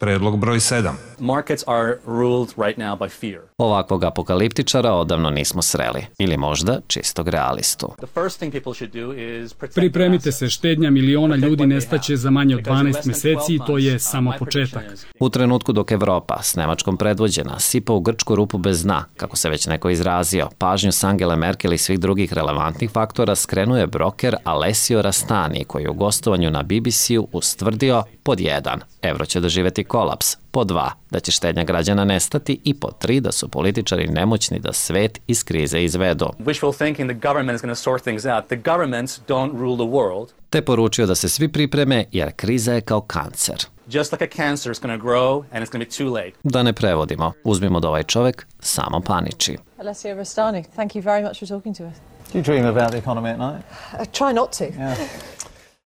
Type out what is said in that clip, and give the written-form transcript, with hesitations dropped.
Predlog broj 7. Markets are ruled right now by fear. Ovakvog apokaliptičara odavno nismo sreli. Ili možda čistog realistu. Pripremite se, štednja miliona ljudi nestaće za manje od 12 meseci i to je samo početak. U trenutku dok Evropa, s Nemačkom predvođena, sipa u grčku rupu bez dna, kako se već neko izrazio, pažnju s Angele Merkel i svih drugih relevantnih faktora skrenuje broker Alessio Rastani, koji je u gostovanju na BBC-u ustvrdio pod 1. Evro će doživjeti kolaps, pod 2. da će štednja građana nestati i pod 3. da su političari nemoćni da svet iz krize izvedu. Te poručio da se svi pripreme jer kriza je kao kancer. Da ne prevodimo, uzmimo da ovaj čovjek samo paniči. Alessio Rastani, thank you very much for talking to us. Do you dream about the economy at night? I try not to. Yeah.